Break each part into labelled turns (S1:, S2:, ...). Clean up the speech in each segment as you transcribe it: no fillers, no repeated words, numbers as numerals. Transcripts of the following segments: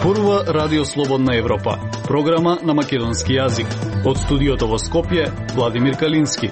S1: Зборува Радио Слободна Европа, програма на македонски јазик. Од студиото во Скопје, Владимир Калински.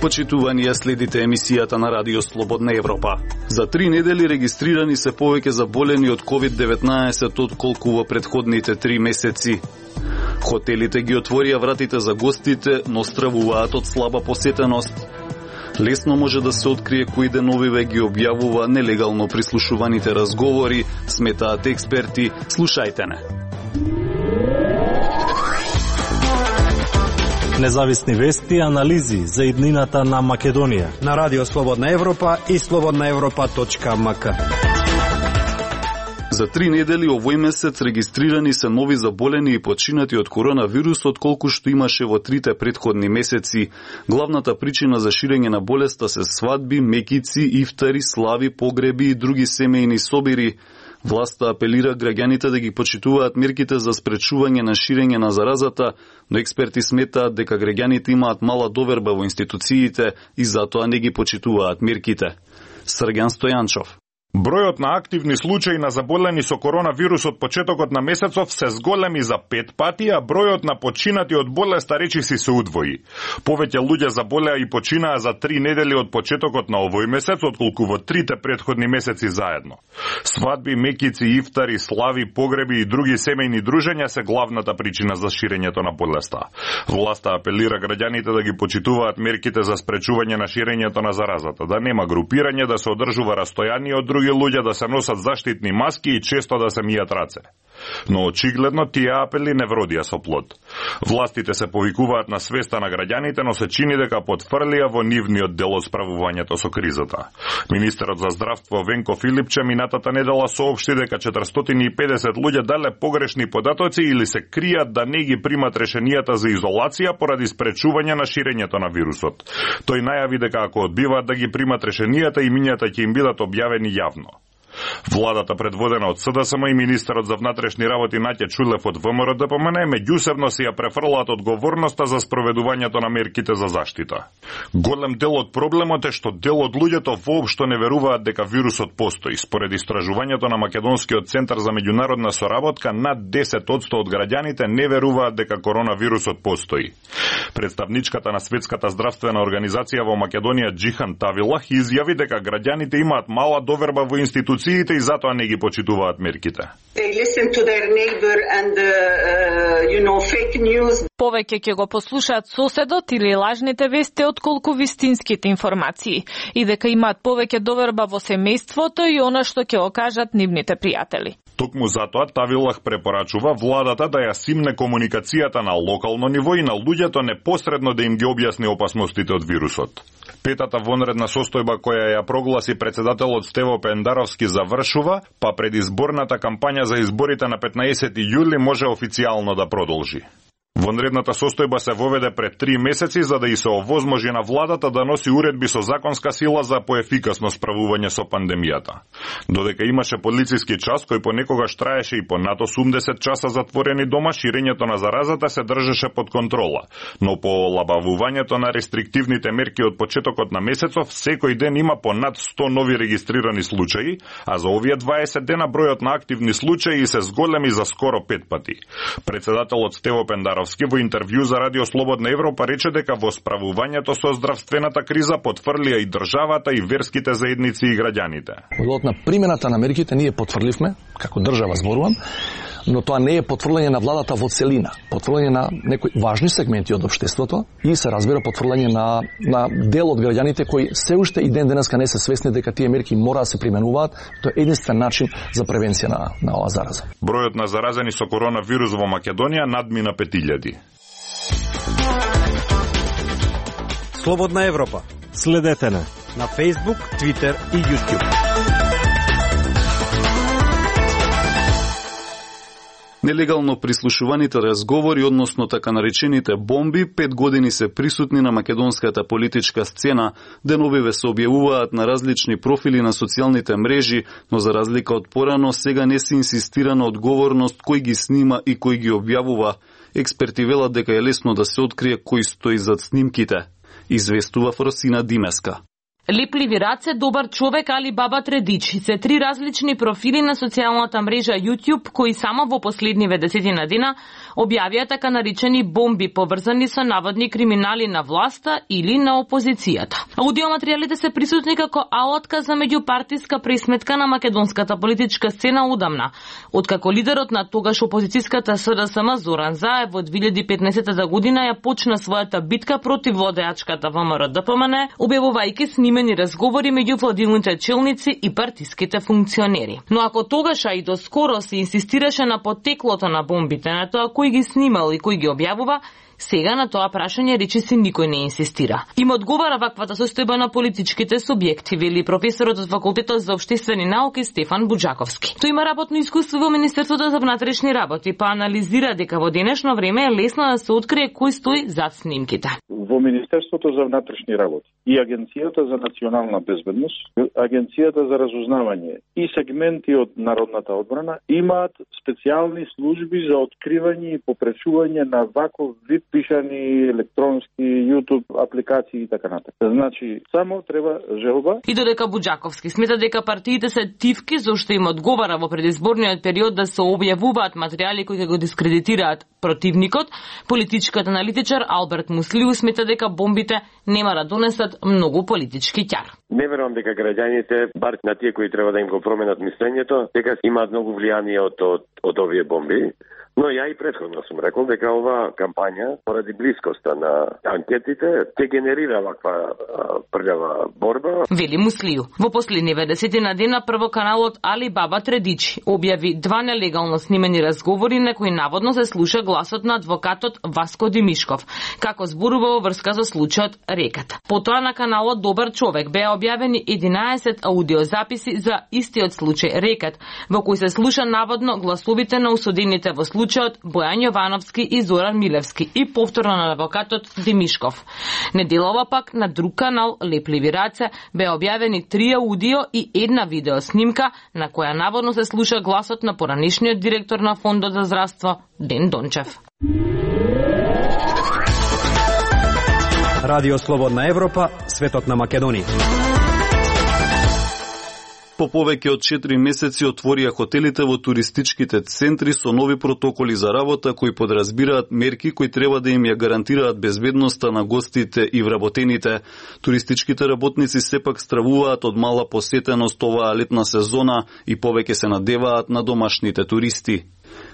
S1: Почитувани, следите емисијата на Радио Слободна Европа. За 3 недели регистрирани се повеќе заболени од COVID-19 отколку во претходните 3 месеци. Хотелите ги отворија вратите за гостите, но стравуваат од слаба посетеност. Лесно може да се открие кои деновиве ги објавува нелегално прислушуваните разговори, сметаат експерти. Слушајте не.
S2: Независни вести и анализи за иднината на Македонија
S3: на Радио Слободна Европа и slobodnaevropa.mk.
S1: За 3 недели овој месец регистрирани се нови заболени и починати од коронавирус отколку што имаше во 3 претходни месеци. Главната причина за ширење на болеста се свадби, мекици, ифтари, слави, погреби и други семејни собири. Власта апелира граѓаните да ги почитуваат мерките за спречување на ширење на заразата, но експерти сметаат дека граѓаните имаат мала доверба во институциите и затоа не ги почитуваат мерките. Срѓан Стојанчов.
S4: Бројот на активни случаи на заболени со коронавирус од почетокот на месецов се зголеми за 5 пати, а бројот на починати од болеста речиси се удвои. Повеќе луѓе заболеа и починаа за 3 недели од почетокот на овој месец, отколку во 3 претходни месеци заедно. Свадби, мекици, ифтари, слави, погреби и други семејни дружења се главната причина за ширењето на болеста. Власта апелира граѓаните да ги почитуваат мерките за спречување на ширењето на заразата, да нема групирање, да се одржува растојание од други луѓе, да се носат заштитни маски и често да се мијат раце. Но очигледно тие апели не вродија со плод. Властите се повикуваат на свеста на граѓаните, но се чини дека потфрлија во нивниот дел од справувањето со кризата. Министерот за здравство Венко Филипче минатата недела соопшти дека 450 луѓе дале погрешни податоци или се кријат да не ги примат решенијата за изолација поради спречување на ширењето на вирусот. Тој најави дека ако одбиваат да ги примат решенијата, имињата ќе им бидат објавени јавно. Владата предводена од СДСМ и министерот за внатрешни работи Наќа Чулев од ВМРО ДПМН меѓусебно си ја префрлаат одговорноста за спроведувањето на мерките за заштита. Голем дел од проблемот е што дел од луѓето воопшто не веруваат дека вирусот постои. Според истражувањето на Македонскиот центар за меѓународна соработка, над 10% од граѓаните не веруваат дека коронавирусот постои. Представничката на Светската здравствена организација во Македонија Џихан Тавилах изјави дека граѓаните имаат мала доверба во институциите и затоа не ги почитуваат мерките.
S5: Повеќе ќе го послушаат соседот или лажните вести отколку вистинските информации и дека имаат повеќе доверба во семејството и она што ќе окажат нивните пријатели.
S4: Токму затоа Тавилах препорачува владата да ја симне комуникацијата на локално ниво и на луѓето непосредно да им ги објасни опасностите од вирусот. Петата вонредна состојба која ја прогласи председателот Стево Пендаровски завршува, па предизборната кампања за изборите на 15 јули може официјално да продолжи. Вонредната состојба се воведе пред 3 месеци за да и се овозможи на владата да носи уредби со законска сила за поефикасно справување со пандемијата. Додека имаше полициски час кој понекогаш траеше и по над 80 часа затворени дома, ширењето на заразата се држеше под контрола, но по олабавувањето на рестриктивните мерки од почетокот на месецов, секој ден има по над 100 нови регистрирани случаи, а за овие 20 дена бројот на активни случаи се зголеми за скоро 5 пати. Председателот Стево Пендаровски во интервју за Радио Слободна Европа рече дека во справувањето со здравствената криза потврлија и државата и верските заедници и граѓаните.
S6: Во на примената на мерките ние потврдивме, како држава зборувам, но тоа не е потврлање на владата во целина, потврлање на некои важни сегменти од општеството и се разбира потврлање на дел од граѓаните кои се уште и ден денеска не се свесни дека тие мерки мора да се применуваат. Тоа е единствен начин за превенција на оваа зараза.
S4: Бројот на заразени со коронавирус во Македонија надмина 5000.
S3: Слободна Европа.
S2: Следете на
S3: Facebook, Twitter и YouTube.
S1: Нелегално прислушуваните разговори, односно така наречените бомби, 5 години се присутни на македонската политичка сцена. Деновиве се објавуваат на различни профили на социјалните мрежи, но за разлика од порано, сега не се инсистира на одговорност кој ги снима и кој ги објавува. Експерти велат дека е лесно да се открие кој стои зад снимките, известува Фросина Димеска.
S7: Лепливи раце, добар човек, Али Баба Тредич се три различни профили на социјалната мрежа YouTube кои само во последниве 10 дена објавија така наречени бомби поврзани со наводни криминали на власта или на опозицијата. Аудиоматеријалите се присутни како алатка за меѓупартиска пресметка на македонската политичка сцена удамна, откако лидерот на тогаш опозицијската СДСМ Зоран Заев во 2015 година ја почна својата битка против владеачката ВМРО-ДПМН, објавувајќи снимени разговори меѓу владините челници и партиските функционери. Но ако тогаш и до скоро се инсистираше на потеклото на бомбите, на тоа кој ги снимал и кој ги објавува, сега на тоа прашање речиси никој не инсистира. Им одговара ваквата состојба на политичките субјекти, вели професорот од факултетот за општествени науки Стефан Буџаковски. Тој има работно искуство во Министерството за внатрешни работи, па анализира дека во денешно време е лесно да се открие кој стои зад снимките.
S8: Во Министерството за внатрешни работи и Агенцијата за национална безбедност, Агенцијата за разузнавање и сегменти од народната одбрана имаат специјални служби за откривање и попречување на ваков вид пишани електронски YouTube апликации и така натаму. Значи, само треба желба.
S7: И додека Буџаковски смета дека партиите се тивки зашто им одговара во предизборниот период да се објавуваат материјали кои ќе го дискредитираат противникот, политичкиот аналитичар Алберт Муслиу смета дека бомбите нема да донесат многу политички ќар.
S9: Не верувам дека граѓаните, бар на тие кои треба да им го променат мислењето, дека имаат многу влијание од овие бомби. Но ја и претходно сум рекол дека оваа кампања, поради блискоста на анкетите, ќе генерира ваква прљава борба.
S7: Вели Муслиу. Во последниве 10 дена прво каналот Али Баба Тредич објави 2 нелегално снимени разговори на кои наводно се слуша гласот на адвокатот Васко Димишков, како зборува во врска со случајот Реката. Потоа на каналот Добар човек беа објавени 11 аудиозаписи за истиот случај Рекат, во кој се слуша наводно гласовите на осудените во случајот Бојан Јовановски и Зоран Милевски и повторно на адвокатот Димишков. Неделова пак на друг канал Лепливи раце беа објавени 3 аудио и 1 видео снимка на која наводно се слуша гласот на поранешниот директор на Фондот за здравство Ден Дончев.
S3: Радио Слободна Европа, светот на Македонија.
S1: По повеќе од 4 месеци отворија хотелите во туристичките центри со нови протоколи за работа кои подразбираат мерки кои треба да им ја гарантираат безбедноста на гостите и вработените. Туристичките работници сепак стравуваат од мала посетеност оваа летна сезона и повеќе се надеваат на домашните туристи.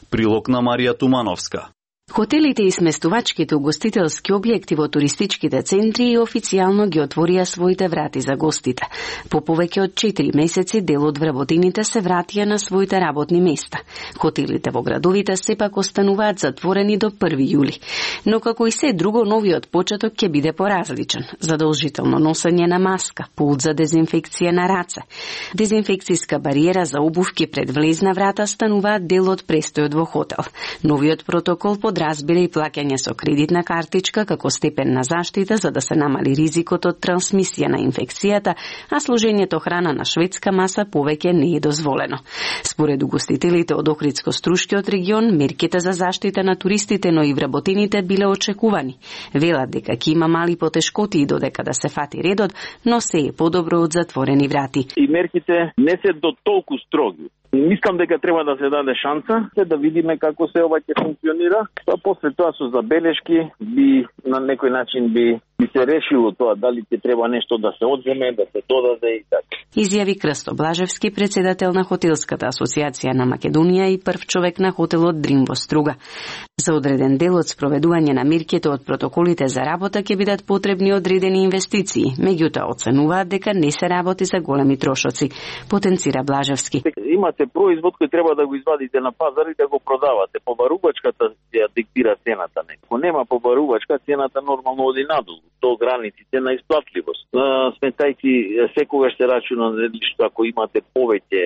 S1: Прилог на Марија Тумановска.
S10: Хотелите и сместувачките угостителски објекти во туристичките центри официјално ги отворија своите врати за гостите. По повеќе од 4 месеци дел од вработените се вратија на своите работни места. Хотелите во градовите сепак остануваат затворени до 1 јули. Но како и се друго, новиот почеток ќе биде поразличен. Задолжително носење на маска, пулт за дезинфекција на раце. Дезинфекцијска бариера за обувки пред влезна врата стануваат дел од престојот во хотел. Новиот протокол подразбира и плаќање со кредитна картичка како степен на заштита за да се намали ризикот од трансмисија на инфекцијата, а служењето храна на шведска маса повеќе не е дозволено. Според угостителите од Охридско-Струшкиот регион, мерките за заштита на туристите, но и вработените биле очекувани. Велат дека ќе има мали потешкоти и додека да се фати редот, но се е подобро од затворени врати.
S8: И мерките не се до толку строги. Мислам дека треба да се даде шанса да видиме како се ова ќе функционира, па после тоа со забелешки би на некој начин би се решило тоа дали ќе треба нешто да се одземе, да се додаде и така.
S10: Изјави Крсто Блажевски, председател на Хотелската асоциација на Македонија и прв човек на хотелот Дрим во Струга. За одреден дел од спроведување на мерките од протоколите за работа ќе бидат потребни одредени инвестиции, меѓутоа оценуваат дека не се работи за големи трошоци, потенцира Блажевски.
S8: Имате производ кој треба да го извадите на пазар и да го продавате. Побарувачката ја диктира цената. Ако нема побарувачка, цената нормално оди надолу, до границите на исплатливост. Сметајќи секогаш се рачуна што ако имате повеќе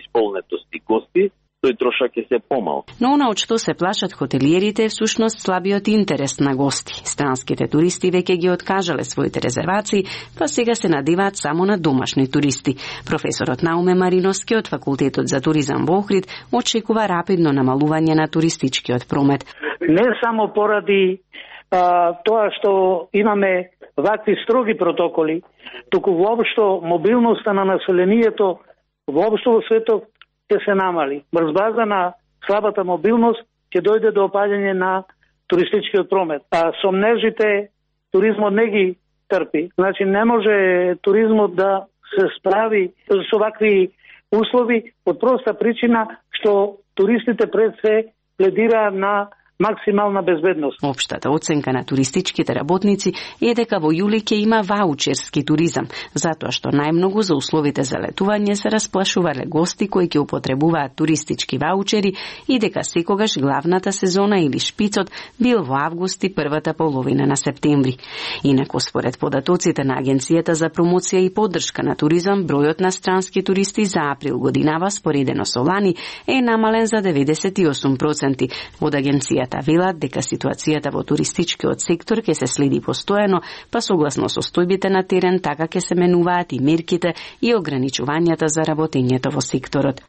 S8: исполнетост и гости, тој трошак е се помал.
S10: Но она од што се плашат хотелиерите е всушност слабиот интерес на гости. Странските туристи веќе ги откажале своите резервации, па сега се надеваат само на домашни туристи. Професорот Науме Мариновски од Факултетот за туризам во Охрид очекува рапидно намалување на туристичкиот промет.
S11: Не само поради тоа што имаме вакви строги протоколи, туку воопшто мобилноста на населението воопшто во светот ќе се намали. Врз база на слабата мобилност ќе дојде до опаѓање на туристичкиот промет. А сомнежите туризмот не ги трпи. Значи не може туризмот да се справи со вакви услови од проста причина што туристите пред се пледира на максимална безбедност.
S10: Општата оценка на туристичките работници е дека во јули ќе има ваучерски туризам, затоа што најмногу за условите за летување се расплашувале гости кои ќе употребуваат туристички ваучери и дека секогаш главната сезона или шпицот бил во август и првата половина на септември. Инаку според податоците на Агенцијата за промоција и поддршка на туризам, бројот на странски туристи за април годинава споредено со лани е намален за 98%. Од агенцијата велат дека ситуацијата во туристичкиот сектор ќе се следи постојано, па согласно состојбите на терен така ќе се менуваат и мерките и ограничувањата за работењето во секторот.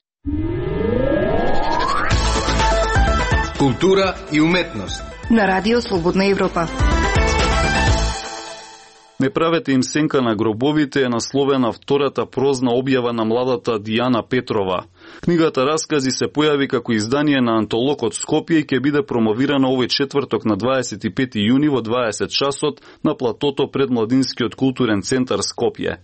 S12: Култура и уметност
S13: на Радио Слободна Европа.
S1: Не правете им сенка на гробовите е насловена втората прозна објава на младата Дијана Петрова. Книгата Раскази се појави како издание на Антолог од Скопје и ќе биде промовирана овој четврток на 25 јуни во 20 часот на платото пред Младинскиот културен центар Скопје.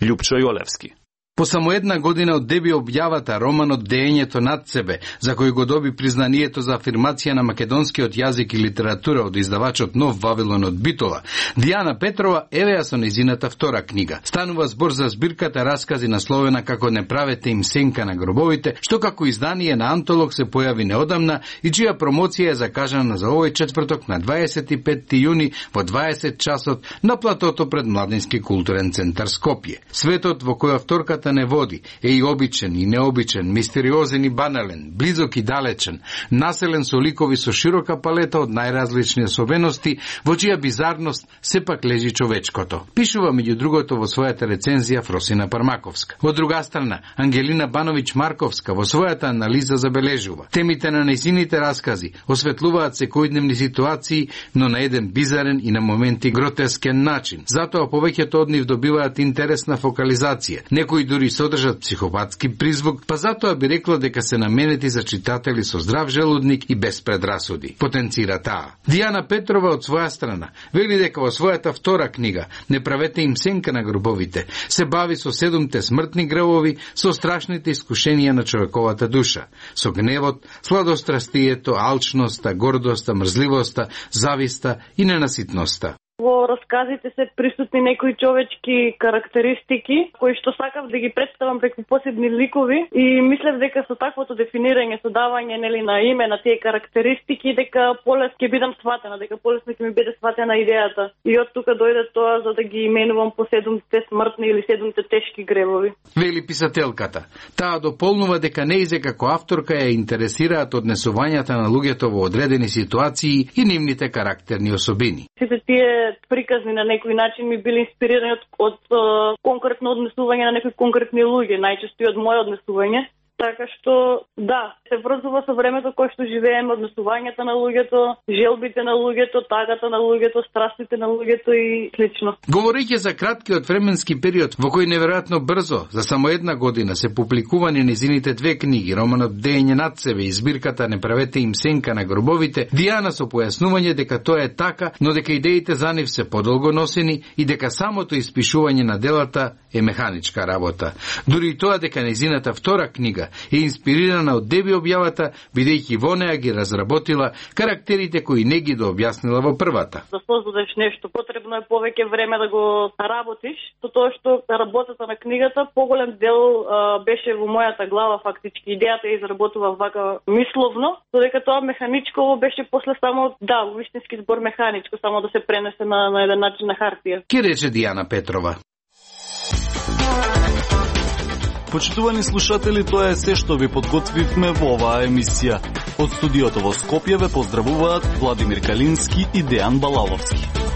S1: Љупчо Јолевски.
S12: По само една година од деби објавата романот Деењето над себе, за кој го доби признанието за афирмација на македонскиот јазик и литература од издавачот Нов Вавилон од Битола, Дијана Петрова евеа со нејзината втора книга. Станува збор за збирката Раскази насловена како Не правете им сенка на гробовите, што како издание на Антолог се појави неодамна и чија промоција е закажана за овој четврток на 25 јуни во 20 часот на платото пред Младински културен центар Скопје. Светот во која вторката не води е и обичен и необичен, мистериозен и банален, близок и далечен, населен со ликови со широка палета од најразлични особености, во чија бизарност сепак лежи човечкото. Пишува меѓу другото во својата рецензија Фросина Пармаковска. Од друга страна, Ангелина Бановиќ Марковска во својата анализа забележува: темите на нејзините раскази осветлуваат секојдневни ситуации, но на еден бизарен и на моменти гротескен начин. Затоа повеќето од нив добиваат интересна фокализација. Некои дури содржат психопатски призвук, па затоа би рекла дека се наменети за читатели со здрав желудник и без предрасуди. Потенцира таа. Дијана Петрова од своја страна вели дека во својата втора книга Не правете им сенка на гробовите се бави со 7 смртни гревови, со страшните искушенија на човековата душа, со гневот, сладострастието, алчноста, гордоста, мрзливоста, зависта и ненаситноста.
S14: Во расказите се присутни некои човечки карактеристики, кои што сакав да ги представам преку посебни ликови и мислев дека со таквото дефинирање, со давање на име на тие карактеристики, дека полесно ќе бидам сватена, дека полесно ќе ми биде сватена идејата. И од тука дојде тоа за да ги именувам по 7 смртни или 7 тешки гревови.
S12: Вели писателката. Таа дополнува дека неизе како авторка ја интересираат однесувањата на луѓето во одредени ситуации и нивните карактерни особини.
S14: Сите тие приказни на некој начин ми били инспирирани од конкретно однесување на некои конкретни луѓе, најчесто и од моје однесување. Така што, да, се врзува со времето кое што живееме, однесувањата на луѓето, желбите на луѓето, тагата на луѓето, страстите на луѓето и слично.
S12: Говорејќи за краткиот временски период во кој неверојатно брзо, за само една година, се публикувани нејзините 2 книги, романот Деење над себе и збирката Не правете им сенка на гробовите, Дијана со појаснување дека тоа е така, но дека идеите за нив се подолго носени и дека самото испишување на делата е механичка работа. Дури и тоа дека нејзината втора книга е инспирирана од деби објавата, бидејќи во неа ги разработила карактерите кои не ги дообјаснила во првата.
S14: Да создадеш нешто, потребно е повеќе време да го работиш, со тоа што работата на книгата поголем дел беше во мојата глава фактички. Идејата ја изработував вака мисловно, додека тоа механичково беше после само, да, вистински збор механичко, само да се пренесе на еден начин на хартија.
S12: Ке рече Дијана Петрова.
S1: Почитувани слушатели, тоа е се што ви подготвивме во оваа емисија. Од студиото во Скопје ве поздравуваат Владимир Калински и Дејан Балаловски.